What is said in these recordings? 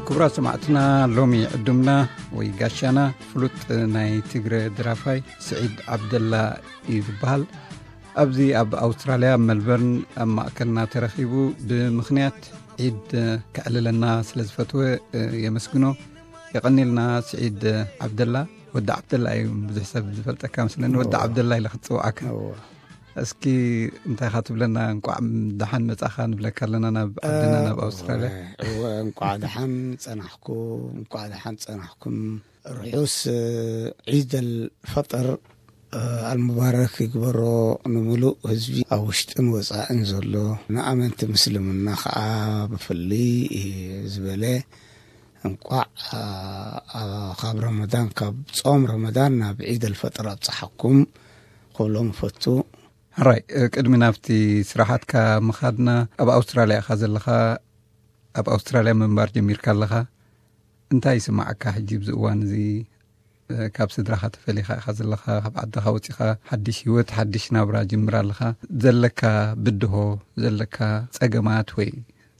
ክቡራት ሰማዕትና፣ ሎሚ ዕዱምና ወይ ጋሻና ፍሉጥ ናይ ትግረ ድራፋይ ስዒድ ዓብደላ እዩ ዝበሃል። ኣብዚ ኣብ ኣውስትራልያ፣ ኣብ መልበርን ኣብ ማእከልና ተረኺቡ ብምኽንያት ዒድ ከዕልለና ስለ ዝፈትወ የመስግኖ። የቐኒልና ስዒድ ዓብደላ። ወዲ ዓብደላ እዩ፣ ብዙሕ ሰብ ዝፈልጠካ ምስለኒ። ወዲ ዓብደላ ኢለ ክትጽውዓካ። እስኪ እንታይ ኢኻ ትብለና? እንቋዕ ደሓን መጻኻ ንብለካ ኣለና ናብ ዓድና፣ ናብ ኣውስትራልያ። እወ፣ እንቋዕ ደሓን ጸናሕኩም፣ እንቋዕ ደሓን ጸናሕኩም። ርሑስ ዒድ ኣልፈጥር ኣልሙባረክ ይግበሮ ንምሉእ ህዝቢ ኣብ ውሽጥን ወጻእን ዘሎ፣ ንኣመንቲ ምስልምና ከዓ ብፍልይ ዝበለ እንቋዕ ካብ ረመዳን፣ ካብ ጾም ረመዳን ናብ ዒድ ኣልፈጥር ኣብጽሓኩም ክብሎም እፈቱ። ሕራይ፣ ቅድሚ ናብቲ ስራሓትካ ምኻድና፣ ኣብ ኣውስትራልያ ኢኻ ዘለኻ፣ ኣብ ኣውስትራልያ ምንባር ጀሚርካ ኣለኻ። እንታይ ይስማዓካ ሕጂ ኣብዚ እዋን እዚ? ካብ ስድራኻ ተፈሊኻ ኢኻ ዘለኻ፣ ካብ ዓድኻ ወጺኻ ሓድሽ ህይወት፣ ሓድሽ ናብራ ጅምር ኣለኻ። ዘለካ ብድሆ፣ ዘለካ ጸገማት ወይ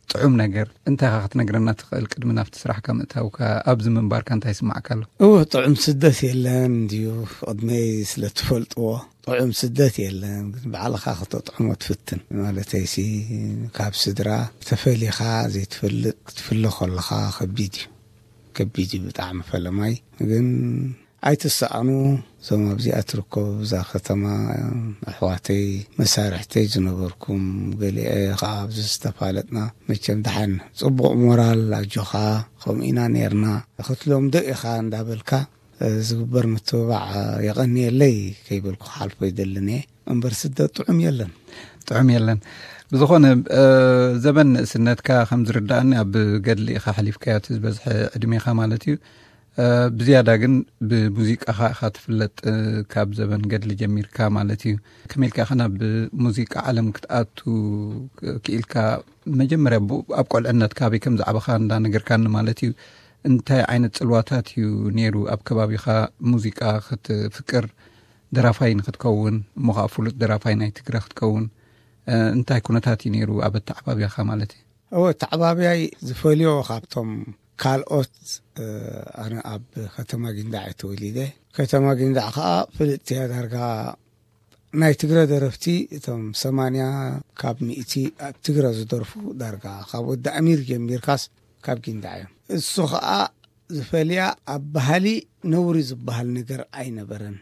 ጥዑም ነገር እንታይ ኢኻ ክትነግረና ትኽእል? ቅድሚ ናብቲ ስራሕካ ምእታውካ ኣብዚ ምንባርካ እንታይ ይስማዓካ ኣሎ? እወ፣ ጥዑም ስደት የለን እንድዩ። ቅድመይ ስለ ትፈልጥዎ፣ ጥዑም ስደት የለን፣ ግን ባዕልኻ ከተጥዕሞ ትፍትን። ማለተይሲ፣ ካብ ስድራ ተፈሊኻ ዘይትፈልጥ ክትፍለ ከለኻ ከቢድ እዩ። ከቢድ እዩ ብጣዕሚ ፈለማይ። ግን ኣይትሰኣኑ፣ እዞም ኣብዚኣ ትርከቡ፣ እዛ ከተማ፣ ኣሕዋተይ፣ መሳርሕተይ ዝነበርኩም፣ ገሊኤ ኸዓ ኣብዚ ዝተፋለጥና፣ መቸም ደሓን ጽቡቕ ሞራል፣ ኣጆኻ፣ ከምኡ ኢና ኔርና፣ ክትለምዶ ኢኻ እንዳበልካ፣ ዝግበር ምትብባዕ የቐንየለይ ከይበልኩ ክሓልፎ ይደልን እየ። እምበር ስደት ጥዑም የለን። ጥዑም የለን። ብዝኾነ፣ እ፣ ዘበን ንእስነትካ ከም ዝርዳእኒ ኣብ ገድሊ ኢኻ ሓሊፍካዮ፣ እቲ ዝበዝሐ ዕድሜኻ ማለት እዩ። እ፣ ብዝያዳ ግን ብሙዚቃኻ ኢኻ ትፍለጥ፣ እ፣ ካብ ዘበን ገድሊ ጀሚርካ ማለት እዩ። ከመይ ኢልካ ኢኻ ናብ ሙዚቃ ዓለም ክትኣቱ ክኢልካ? መጀመርያ ቡ-፣ ኣብ ቆልዕነትካ ኣበይ ከም ዝዓበኻ እንዳነገርካኒ ማለት እዩ። እንታይ ዓይነት ጽልዋታት እዩ ነይሩ ኣብ ከባቢኻ? ሙዚቃ ክትፍቅር፣ ደራፋይ ንክትከውን፣ እሞ ኸዓ ፍሉጥ ደራፋይ ናይ ትግረ ክትከውን፣ እ፣ እንታይ ኩነታት እዩ ነይሩ ኣብ ኣተዓባብያኻ ማለት እዩ? እወ፣ ኣተዓባብያይ ዝፈልዮ ካብቶም ካልኦት፣ እ፣ ኣነ ኣብ ከተማ ጊንዳዕ እየ ተወሊደ። ከተማ ጊንዳዕ ኸዓ ፍልጥቲ እያ ዳርጋ ናይ ትግረ ደረፍቲ እቶም ሰማንያ ካብ ሚእቲ ኣብ ትግረ ዝደርፉ ዳርጋ ካብ ወዲ ኣሚር ጀሚርካስ ካብ ጊንዳዕ እዮም። እሱ ኸዓ ዝፈልያ ኣብ ባህሊ ነውሪ ዝበሃል ነገር ኣይነበረን።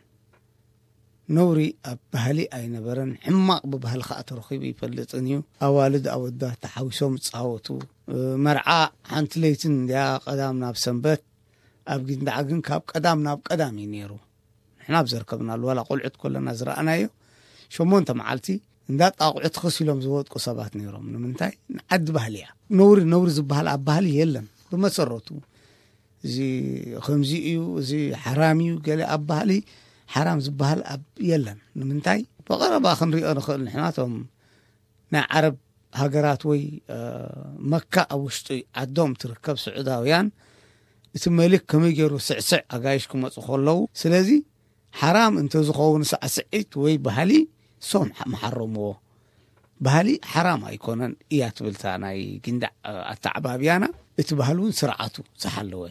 ነውሪ ኣብ ባህሊ ኣይነበረን። ሕማቕ ብባህሊ ኸዓ ተረኺቡ ይፈልጥን እዩ። ኣዋልድ ኣወዳት ተሓዊሶም ይጻወቱ። መርዓ ሓንቲ ለይትን እንድያ ቀዳም ናብ ሰንበት፣ ኣብ ጊንዳዕ ግን ካብ ቀዳም ናብ ቀዳም እዩ ነይሩ። ንሕና ኣብ ዘርከብናሉ፣ ዋላ ቆልዑት ከለና ዝረኣናዮ፣ ሸሞንተ መዓልቲ እንዳ ጣቑዑ ትኽስ ኢሎም ዝወድቁ ሰባት ነይሮም። ንምንታይ? ንዓዲ ባህሊ እያ። ነውሪ፣ ነውሪ ዝበሃል ኣብ ባህሊ የለን። ብመሰረቱ፣ እዚ ከምዚ እዩ፣ እዚ ሓራም እዩ፣ ገለ ኣብ ባህሊ ሓራም ዝበሃል ኣብ፣ የለን። ንምንታይ? ብቐረባ ክንሪኦ ንኽእል ንሕና፣ እቶም ናይ ዓረብ ሃገራት ወይ፣ እ፣ መካ ኣብ ውሽጢ ዓዶም ትርከብ ስዑዳውያን፣ እቲ መሊክ ከመይ ገይሩ ስዕስዕ ኣጋይሽ ክመጹ ከለዉ፣ ስለዚ ሓራም እንተዝኸውን ሳዕስዒት ወይ ባህሊ፣ ሶም ሓ-፣ ምሓረምዎ። ባህሊ ሓራም ኣይኮነን እያ ትብል እታ ናይ ጊንዳዕ፣ እ፣ ኣተዓባብያና። እቲ ባህሊ እውን ስርዓቱ ዝሓለወ።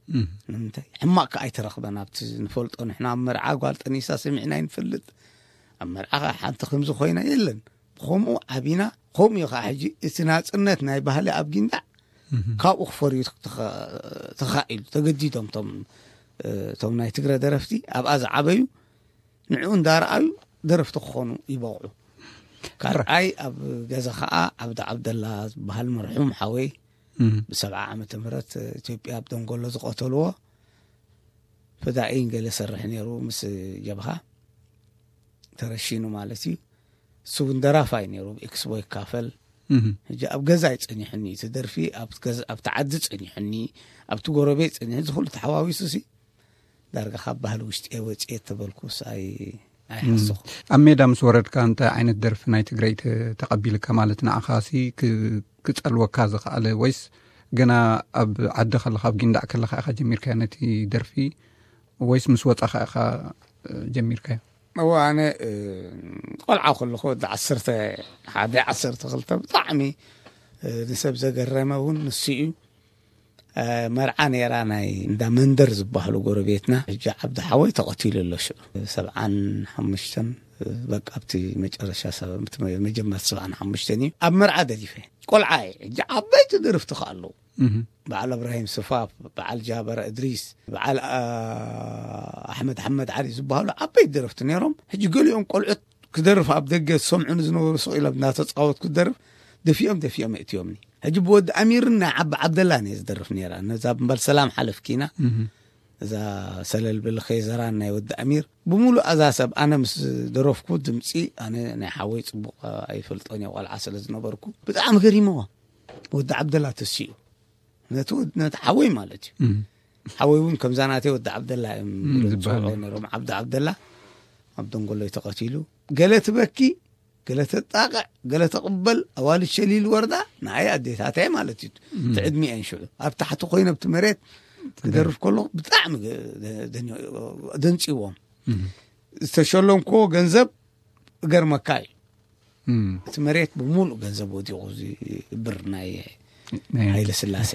እም። ንምንታይ? ሕማቕ ከኣ ኣይተረኽበን። ኣብቲ ንፈልጦ ንሕና ኣብ መርዓ ጓል ጠኒሳ ሰሚዕና ኣይንፈልጥ። ኣብ መርዓ ከኣ ሓንቲ ከምዚ ኮይና የለን። ብኸምኡ ዓቢና፣ ከምኡ እዩ ከኣ ሕጂ እቲ ናጽነት ናይ ባህሊ ኣብ ጊንዳዕ እም። ካብኡ ክፈርዩ ተኸ-፣ ተኻኢሉ። ተገዲዶም እቶም፣ እ፣ እቶም ናይ ትግረ ደረፍቲ ኣብኣ ዝዓበዩ ንዕኡ እንዳረኣዩ ደረፍቲ ክኾኑ ይበቕዑ። ካልኣይ ኣብ ገዛ ኸኣ ዓብዲ ዓብደላ ዝበሃል መርሑም ሓወይ እም። ብሰብዓ ዓመተ ምህረት ኢትዮጵያ ኣብ ደንጎሎ ዝቐተልዎ ፈዳኢን ገለ ሰርሕ ነይሩ ምስ ጀብሃ ተረሺኑ ማለት እዩ። እሱ እውን ደራፋይ ነይሩ፣ ብኤክስቦ ይካፈል። እም። ሕጂ ኣብ ገዛ እዩ ጸኒሑኒ፣ እቲ ደርፊ ኣብ ገዛ፣ ኣብቲ ዓዲ ጸኒሑኒ፣ ኣብቲ ጎረቤት ጸኒሑ፣ እዚ ኩሉ ተሓዋዊሱ ሲ ዳርጋ ካብ ባህሊ ውሽጢ እየ ወፂኤ ተበልኩስ ኣይ-፣ ኣይሓሰኹ። ኣብ ሜዳ ምስ ወረድካ እንታይ ዓይነት ደርፊ ናይ ትግራይ ተ-፣ ተቐቢልካ? ማለት ንዓኻ ሲ ክ-፣ ክጸልወካ ዝኸኣለ ወይስ ገና ኣብ ዓዲ ከለኻ፣ ኣብ ጊንዳዕ ከለኻ ኢኻ ጀሚርካዮ ነቲ ደርፊ ወይስ ምስ ወጻኻ ኢኻ ጀሚርካዮ? እዎ፣ ኣነ እ፣ ቆልዓ ከለኹ ወዲ ዓሰርተ ሓደ ዓሰርተ ክልተ ብጣዕሚ እ፣ ንሰብ ዘገረመ እውን ንሱ እዩ። እ፣ መርዓ ነይራ ናይ እንዳ መንደር ዝበሃሉ ጎረቤትና። ሕጂ ዓብዲ ሓወይ ተቐቲሉ ኣሎ ሽዑ። ሰብዓን ሓሙሽተን፣ እ፣ በቃ ኣብቲ መጨረሻ ሰብ-፣ ኣብቲ መ-፣ መጀመርታ ሰብዓን ሓሙሽተን እዩ። ኣብ መርዓ ደሪፈ። ቆልዓ እየ። ሕጂ ዓበይቲ ደርፍቲ ከ ኣለዉ። እህ። በዓል እብራሂም ስፋፍ፣ በዓል ጃበር እድሪስ፣ በዓል፣ ኣ፣ ኣሕመድ ሓመድ ዓሊ ዝበሃሉ ዓበይቲ ደረፍቲ ነይሮም። ሕጂ ገሊኦም ቆልዑት ክደርፍ ኣብ ደገ ዝሰምዑኒ ዝነበሩ ስቕ ኢሎም እናተጻወትኩ ክደርፍ ደፊኦም ደፊኦም የእትዮምኒ። ሕጂ ብወዲ ኣሚርን ናይ ዓቢ ዓብደላን እየ ዝደርፍ ነይራ። ነዛ ብምባል ሰላም ሓለፍኪና። እህ። እዛ ሰለል ብልኸ ዘራን ናይ ወዲ ኣሚር ብምሉእ ኣዛ ሰብ ኣነ ምስ ደረፍኩ ድምጺ ኣነ ናይ ሓወይ ጽቡቕ ኣይፈልጦን እየ፣ ቆልዓ ስለ ዝነበርኩ ብጣዕሚ ገሪምዋ። ወዲ ዓብደላ ተሲኡ ነቲ ወድ-፣ ነቲ ሓወይ ማለት እዩ። እም። ሓወይ እውን ከምዛ ናተይ ወዲ ዓብደላ እዮም እም፣ ዝብሉ ዝበሃል ዝፅውዑ እዩ። ነይሮም። ዓብዲ ዓብደላ ኣብ ደንጎሎይ ተቐቲሉ። ገለ ትበኪ፣ ገለ ተጣቕዕ፣ ገለ ተቕበል። ኣዋልድ ሸሊል ወረዳ ንኣይ ኣዴታተይ ማለት እዩ። እም። እቲ ዕድሚኤን ሽዑ ኣብ ታሕቲ ኮይነ ኣብቲ መሬት ትገርም። ክደርፍ ከሎ ብጣዕሚ ገ-፣ ደ-፣ ደን-፣ ደንፅዎም። እም። ዝተሸለምክዎ ገንዘብ እገርመካ እዩ። እም። እቲ መሬት ብምሉእ ገንዘብ ወዲቑ፣ እዚ ብር ናይ ናይ ሃይለ ስላሴ።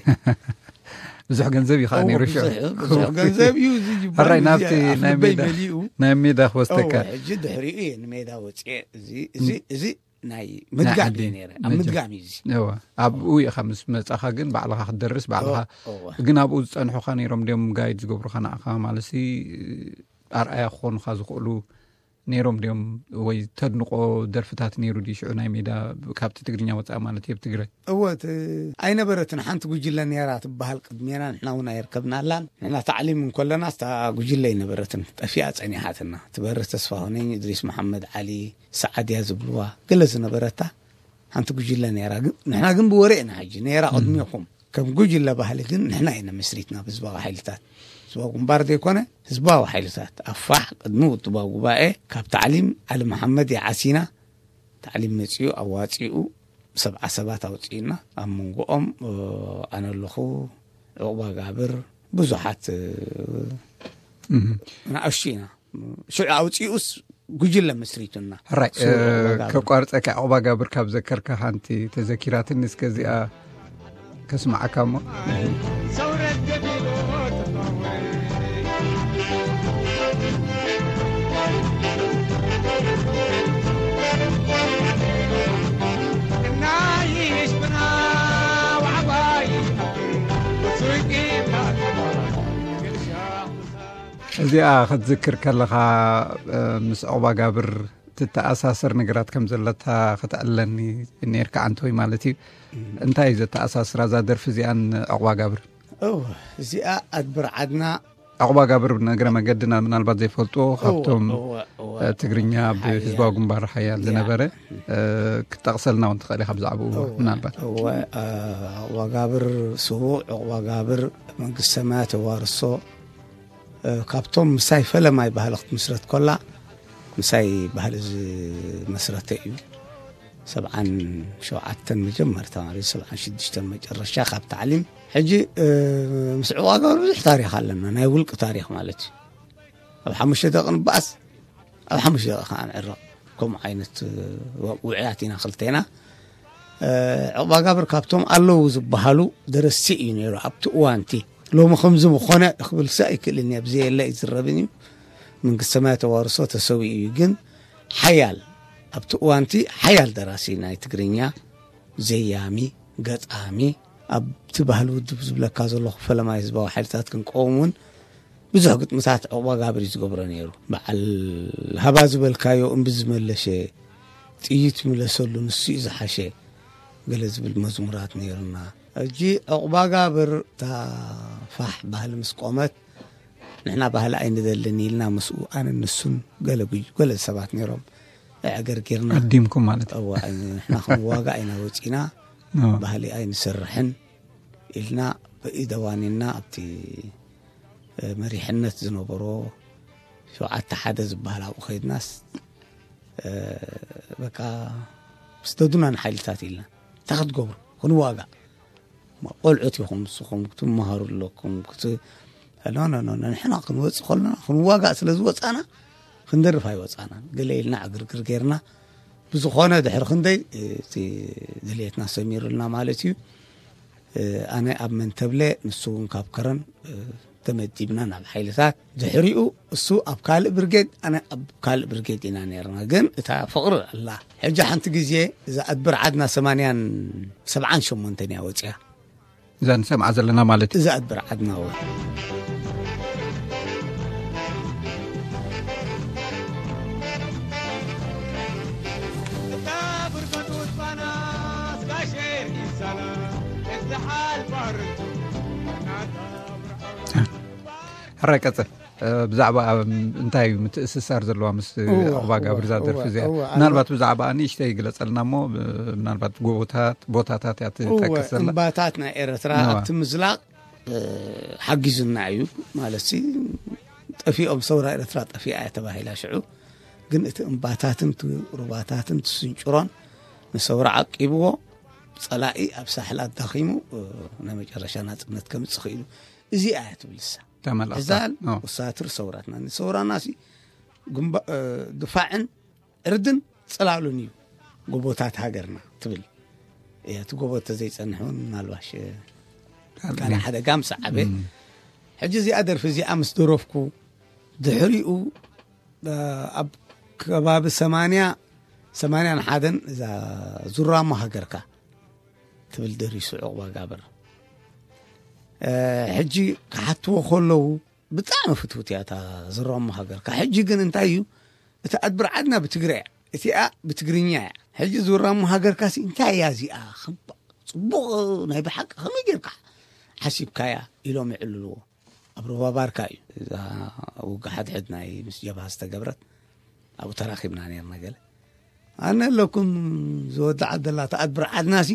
ብዙሕ ገንዘብ እዩ ከዓ እዎ፣ ነይሩ ሽዑ። ብዙሕ፣ ብዙሕ ገንዘብ እዩ። እዚ ጅባን ሕራይ እዚ ናብቲ ኣብ ናይ ልበይ ሜዳ፣ መሊኡ። ናይ ሜዳ ክወስደካ። እዎ፣ ሕጂ ድሕሪኡ እየ ንሜዳ ወፅኤ። እዚ፣ እዚ፣ እም። እዚ ናይ ናይ ምድጋም ዓዲ እዩ ነይረ። ኣብ መጀ-፣ ምድጋም እዩ እዚ። እዎ። ኣብኡ ኢኻ ምስ መጻኻ ግን ባዕልኻ ክትደርስ፣ ባዕልኻ እዎ፣ እዎ። ግን ኣብኡ ዝጸንሑኻ ነይሮም ድዮም ጋይድ ዝገብሩኻ ንዓኻ? ማለትሲ ኣርኣያ ክኾኑኻ ዝኽእሉ ነይሮም ድዮም? ወይ ተድንቆ ደርፍታት ነይሩ ድዩ ሽዑ ናይ ሜዳ ካብቲ ትግርኛ ወጻኢ ማለት እዩ ኣብ ትግራይ? እወ፣ እቲ ኣይነበረትን ሓንቲ ጉጅለ ነይራ ትበሃል ቅድሜና፣ ንሕና እውን ኣይርከብናላን። ንሕና ታዕሊም እንከለና እታ ጉጅለ ኣይነበረትን፣ ጠፊኣ ጸኒሓትና። ትበርህ ተስፋሁነኝ፣ እድሪስ መሓመድ ዓሊ፣ ሰዓድያ ዝብልዋ ገለ ዝነበረታ ሓንቲ ጉጅለ ነይራ። ግን ንሕና ግን ብወሬ ኢና ሕጂ ነይራ እም። ቅድሜኹም። ከም ጉጅለ ባህሊ ግን ንሕና ኢና መስሪትና ብህዝባዊ ሓይልታት። ህዝባዊ ግንባር ዘይኮነ ህዝባዊ ሓይልታት። ኣፋሕ ቅድሚ ውድባዊ ጉባኤ ካብ ታዕሊም ዓሊ መሓመድ ይዓሲና። ታዕሊም መጺኡ ኣዋጺኡ ሰብዓ ሰባት ኣውጺእና። ኣብ መንጎኦም፣ እ፣ ኣነ ኣለኹ፣ ዑቕባ ጋብር፣ ብዙሓት፣ እ፣ እም። ንኣሽቱ ኢና። ሽዑ ኣውጺኡስ ጉጅለ መስሪቱና። ሕራይ፣ ሱር እ፣ ዑቕባ ጋብር። ከቋርጸካ፣ ዑቕባ ጋብር ካብ ዘከርካ ሓንቲ ተዘኪራትኒ፣ እስከ እዚኣ ከስምዓካ እሞ። እዚኣ ክትዝክር ከለኻ፣ እ፣ ምስ ዑቕባ ጋብር ትተኣሳሰር ነገራት ከም ዘለታ ክትዕለኒ ነርካ፣ ዓንተወይ ማለት እዩ። እም። እንታይ እዩ ዘተኣሳስራ እዛ ደርፊ እዚኣን ዑቕባ ጋብር? እወ፣ እዚኣ ኣድብር ዓድና። ዑቕባ ጋብር፣ ነገረ መገድና ምናልባት ዘይፈልጥዎ፣ እወ፣ ካብቶም፣ እወ፣ እወ። እ፣ ትግርኛ ኣብ ሓያል። ህዝባዊ ግንባር ሓያል ያ። ዝነበረ፣ እ፣ ክትጠቕሰልና እውን ትኽእል ኢኻ ብዛዕባኡ እወ፣ ምናልባት። እወ፣ እ፣ ዑቕባ ጋብር ስዉእ፣ ዑቕባ ጋብር መንግስቲ ሰማያት የዋርሶ። እ፣ ካብቶም ምሳይ ፈለማይ ባህሊ ክትምስረት ኮላ፣ ምሳይ ባህሊ ዝመስረተ እዩ። ሰብዓን ሸውዓተን መጀመርታ ማለት እዩ፣ ሰብዓን ሽዱሽተን መጨረሻ ካብ ታዕሊም። ሕጂ፣ እ፣ ምስ ዕቋ ጋብር ብዙሕ ታሪኽ ኣለና፣ ናይ ውልቂ ታሪኽ ማለት እዩ። ኣብ ሓሙሽተ ደቂ ንበኣስ፣ ኣብ ሓሙሽተ ደቂ ከዓ ንዕረቕ። ከምኡ ዓይነት፣ እ፣ ውዑያት ኢና ክልቴና። እ፣ ዕቑባ ጋብር ካብቶም ኣለዉ ዝበሃሉ ደረስቲ እዩ ነይሩ ኣብቲ እዋንቲ። ሎሚ ከምዚ ምኾነ ክብልሲ ኣይክእልን እየ፣ ብዘየለ ኣይዝረብን እዩ። መንግስተ ሰማያት ተዋርሶ ተሰዊኡ እዩ፣ ግን ሓያል፣ ኣብቲ እዋንቲ ሓያል ደራሲ ናይ ትግርኛ፣ ዘያሚ፣ ገጣሚ፣ ኣብቲ ባህሊ ውድብ ዝብለካ ዘለኹ ፈለማይ ህዝባዊ ሓይልታት ክንቀውም እውን ብዙሕ ግጥምታት ዕቑባ ጋብር እዩ ዝገብሮ ነይሩ። በዓል ሃባ ዝበልካዮ እምቢ ዝመለሸ፣ ጥይት ምለሰሉ፣ ንሱ እዩ ዝሓሸ፣ ገለ ዝብል መዝሙራት ነይሩና። ሕጂ ዕቑባ ጋብር እታ ፋሕ ባህሊ ምስ ቆመት፣ ንሕና ባህሊ ኣይንደልን ኢልና ምስኡ ኣነ ንሱን ገለ ጉጅ-፣ ገለ ሰባት ነይሮም። ኣዕገርጊርና። ዓዲምኩም ማለት እዩ። እወ፣ ኣይ-፣ ንሕና ክንዋጋእ ኢና ወጺና፣ እወ። ባህሊ ኣይንሰርሕን ኢልና ብኢደ ዋኒንና ኣብቲ፣ እ፣ መሪሕነት ዝነበሮ ሸውዓተ ሓደ ዝበሃል ኣብኡ ከይድናስ፣ እ፣ በቃ ስደዱና ንሓይልታት ኢልና። እንታይ ክትገብሩ? ክንዋጋእ። ቆልዑት ኢኹም ንስኹም፣ ክትመሃሩ ኣለኩም፣ ክት-፣ ኖ፣ ኖ፣ ኖ፣ ኖ፣ ንሕና ክንወጽእ ከለና ክንዋጋእ ስለ ዝወጻና፣ ክንደርፍ ኣይወፃናን። ገለ ኢልና ዕግርግር ጌርና፣ ብዝኾነ ድሕሪ ክንደይ እቲ ድልየትና ሰሚሩልና ማለት እዩ። ኣነ ኣብ መንተብለ፣ ንሱ እውን ካብ ከረን ተመዲብና ናብ ሓይልታት። ድሕሪኡ እሱ ኣብ ካልእ ብርጌድ፣ ኣነ ኣብ ካልእ ብርጌድ ኢና ነርና። ግን እታ ፍቕሪ ኣላ። ሕጂ ሓንቲ ግዜ እዛ ኣድብር ዓድና ሰማንያን ሰብዓን ሸሞንተን እያ ወፅያ። እዛ ንሰምዓ ዘለና ማለት እዩ። እዛ ኣድብር ዓድና እውን ሕራይ ቀጽል። ብዛዕባ እንታይ እዩ ምትእስሳር ዘለዋ ምስ ዕቑባ ጋብር እዛ ደርፊ እዚኣ? ምናልባት ብዛዕባ ንእሽተይ ይግለጸልና እሞ፣ ምናልባት ጎቦታት፣ ቦታታት እያ ትጠቅስ ዘላ። እምባታት ናይ ኤርትራ ኣብቲ ምዝላቕ ሓጊዙና እዩ ማለት ሲ። ጠፊኦም፣ ሰውራ ኤርትራ ጠፊኣ እያ ተባሂላ ሽዑ። ግን እቲ እምባታትን እቲ ሩባታትን እቲ ስንጭሮን ንሰውራ ዓቂብዎ፣ ጸላኢ ኣብ ሳሕላ ኣዳኺሙ፣ ናይ መጨረሻ ናጽነት ከምጽእ ኽኢሉ። እዚኣ እያ ትብል እሳ። ተመልእታ። እዛል ውሳትር ሰውራትና። ንሰውራና ሲ ግንባ-፣ ድፋዕን ዕርድን ጽላሉን እዩ ጎቦታት ሃገርና ትብል እያ። እቲ ጎቦ ተዘይጸንሕ እውን ምናልባሽ ካልእ ሓደጋ ምስ ዓበ። ሕጂ እዚኣ ደርፊ እዚኣ ምስ ደረፍኩ ድሕሪኡ፣ ኣብ ከባቢ ሰማንያ፣ ሰማንያን ሓደን እዛ ዙራሞ ሃገርካ ትብል ደሪሱ ዕቑባ ጋብር። ሕጂ ክሓትዎ ከለዉ ብጣዕሚ ፍትውቲ እያ እታ ዙራሞ ሃገርካ። ሕጂ ግን እንታይ እዩ፣ እቲ ኣድብር ዓድና ብትግረ እያ፣ እቲኣ ብትግርኛ እያ። ሕጂ ዙራሞ ሃገርካ ሲ እንታይ እያ እዚኣ? ጽቡቕ፣ ናይ ብሓቂ ከመይ ጌርካ ሓሲብካያ? ኢሎም ይዕልልዎ። ኣብ ሩባ ባርካ እዩ እዛ ውግእ ሓድሕድ ናይ ምስ ጀብሃ ዝተገብረት። ኣብኡ ተራኺብና ነርና ገለ። ኣነ ኣለኩም ዝወድዓ ዘላ ተኣድብር ዓድናሲ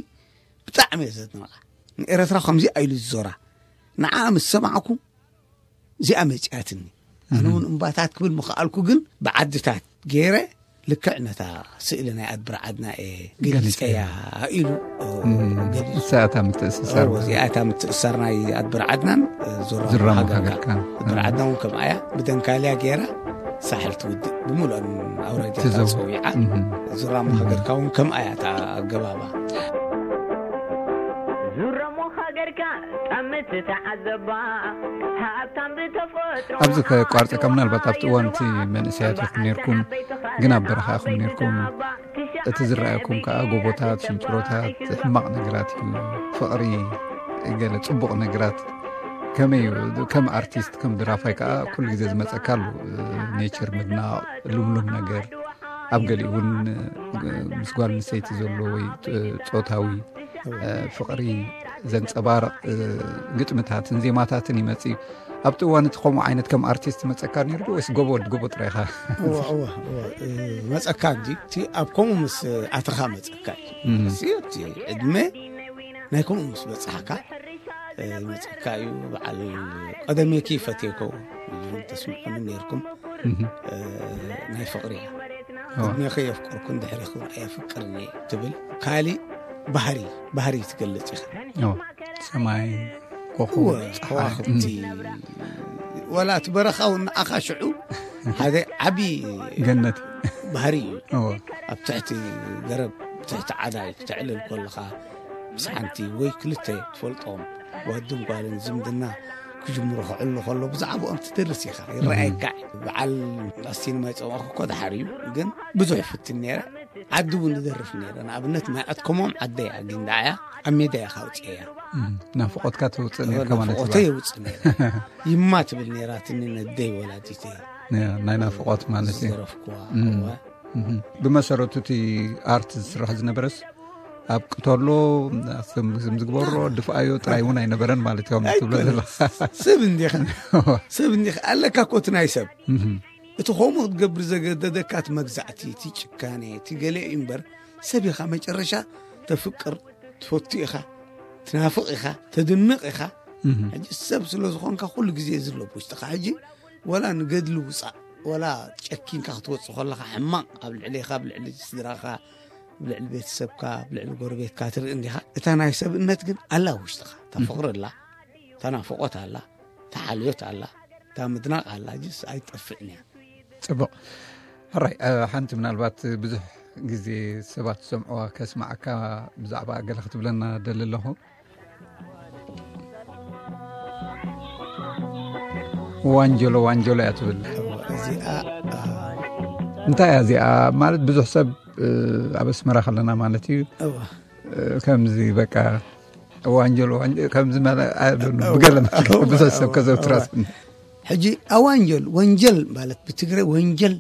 ብጣዕሚ እየ ዘድንቓ። ንኤረትራ ከምዚ ኣይሉ ዝዞራ። ንዓ ምስ ሰማዕኩ እዚኣ መጺኣትኒ። ኣነ እውን እምባታት ክብል ምኽኣልኩ፣ ግን ብዓድታት ገይረ ልክዕ ነታ ስእሊ ናይ ኣድብር ዓድና እየ ገሊጸያ ኢሉ ገሊጹ። እሳ እታ ምትእስሳር እዚኣ እታ ምትእስሳር ናይ ኣድብር ዓድናን ዙራሞ ሃገርካ። ኣድብር ዓድና እውን ከምኣ እያ፣ ብደንካልያ ገይራ ሳሕል ትውድእ ብምሉኣን ኣውራጃ ትዘው- ተጸዊዓ። ዙራሞ ሃገርካ እውን ከምኣ እያ እታ ኣገባባ። ዙራሞ ሃገርካ ጠምት ተዓዘባ፣ ሃብታም ብተፈጥሮ ኣብዚ ከቋርጸካ፣ ምናልባት ኣብቲ እዋን እቲ መንእሰያት ኢኹም ነርኩም፣ ግን ኣብ በረኻ ኢኹም ነርኩም። እቲ ዝረኣየኩም ከኣ ጎቦታት፣ ሽንጥሮታት፣ ሕማቕ ነገራት እዩ። ፍቕሪ፣ ገለ ጽቡቕ ነገራት። ከመይ እዩ? ከም ኣርቲስት፣ ከም ድራፋይ ከኣ ኩሉ ግዜ ዝመጸካ ኣሉ። ኔቸር ምድናቕ፣ ልምሉም ነገር፣ ኣብ ገሊኡ እውን ምስ ጓል ኣንስተይቲ ዘሎ ወይ ጾታዊ ፍቕሪ ዘንጸባርቕ ግጥምታትን ዜማታትን ይመጽእ እዩ። ኣብቲ እዋን እቲ ከምኡ ዓይነት ከም ኣርቲስት መጸካ ነይሩ ዶ ወይስ ጎቦ ወዲ ጎቦ ጥራይ ኢኻ? እዋ፣ እዋ፣ እዋ፣ እ፣ መጸካ እንጂ፣ እቲ ኣብ ከምኡ ምስ ኣተኻ መጸካ እዩ። እም። እዚ ኣብቲ ዕድመ ናይ ከምኡ ምስ በጻሕካ፣ እ፣ መጸካ እዩ። በዓል ቀደሜኪ ፈትየኮ ኢልኩም ተስምዑኒ ነይርኩም። እም። እ፣ ናይ ፍቕሪ እያ። እዋ። ቅድሜኺ የፍቅርኩን ድሕሬኺ እውን ኣየፍቅርን እየ ትብል። ካሊእ ባህሪ፣ ባህሪ ትገልጽ ኢኻ። እዋ። ሰማይ፣ ኮኾብ፣ እወ፣ ጸሓይ። ከዋኽብቲ። እም። ወላ እቲ በረኻ እውን ንኣኻ ሽዑ ሓደ ዓቢ ገነት። ባህሪ እዩ። እወ። ኣብ ትሕቲ ገረብ፣ ትሕቲ ዓዳይ ክተዕልል ከለኻ፣ ምስ ሓንቲ ወይ ክልተ ትፈልጦም ወድን ጓልን ዝምድና ክጅምሩ ክዕሉ ከሎ ብዛዕባኦም ትደርስ ኢኻ፣ ይረኣየካ። እም። በዓል ኣስቲን ማይ ጸማእኩ እኮ ደሓር እዩ፣ ግን ብዙሕ ፍትን ነይረ። ዓዲ እውን ንደርፍ ነይረ። ንኣብነት ማይ ኣትከሞም ዓደይ ኣጊንዳ እያ፣ ኣብ ሜዳ እያ ካውፅያ። እም፣ ናፍቖትካ ተውፅእ ነርካ ማለት ናፍቖተይ እዩ። የውፅእ ነይረ። ይማ ትብል ነይራትኒ ነደይ ወላዲተይ። ያ፣ ናይ ናፍቖት ማለት እዩ። ዝደረፍኩዋ። እም። እዋ። እም። ብመሰረቱ እቲ ኣርት ዝስራሕ ዝነበረስ ኣብ ቅተሎ፣ ስም፣ ስም ዝግበሮ፣ ድፍኣዮ ጥራይ እውን ኣይነበረን ማለት እዮም ትብሎ ኣይኮነን። ዘለኻ። ሰብ እንዲኻ። ሰብ እንዲኻ። ኣለካ እኮ እቲ ናይ ሰብ። እም። እቲ ከምኡ ክትገብር ዘገደደካ እቲ መግዛእቲ፣ እቲ ጭካኔ፣ እቲ ገለ እዩ እምበር፣ ሰብ ኢኻ መጨረሻ ተፍቅር፣ ትፈቱ ኢኻ፣ ትናፍቕ ኢኻ፣ ተድንቕ ኢኻ። እም። ሕጂ ሰብ ስለ ዝኾንካ ኩሉ ግዜ ዝሎ ኣብ ውሽጥኻ። ሕጂ ወላ ንገድሊ ውጻእ፣ ወላ ጨኪንካ ክትወጽእ ከለኻ ሕማቕ ኣብ ልዕሌኻ፣ ኣብ ልዕሊ ስድራኻ፣ ኣብ ልዕሊ ቤተሰብካ፣ ኣብ ልዕሊ ጎረቤትካ ትርኢ እንዲኻ። እታ ናይ ሰብእነት ግን ኣላ ኣብ ውሽጥኻ። እታ እም። ፍቕሪ ኣላ፣ እታ ናፍቖት ኣላ፣ እታ ሓልዮት ኣላ፣ እታ ምድናቕ ኣላ፣ ጅስ ኣይትጠፍእን እያ። ጽቡቕ። ሕራይ፣ እ፣ ሓንቲ ምናልባት ብዙሕ ግዜ ሰባት ዝሰምዕዋ ከስምዓካ ብዛዕባ ገለ ክትብለና ደሊ ኣለኹ። ዋንጀሎ፣ ዋንጀሎ እያ ትብል። እዚኣ፣ እ፣ እንታይ እያ እዚኣ? ማለት ብዙሕ ሰብ፣ እ፣ ኣብ ኣስመራ ከለና ማለት እዩ። እዋ። እ፣ ከምዚ በቃ ዋንጀሎ፣ ዋንጀሎ፣ ከምዚ መለ-፣ I don't know፣ እዋ፣ ብገለ መልክዕ እዋ፣ ብዙሕ ሰብ እዋ፣ ከዘውትራ እዋ። ስኒ። ሕጂ ኣዋንጀል፣ ወንጀል ማለት ብትግረ ወንጀል፣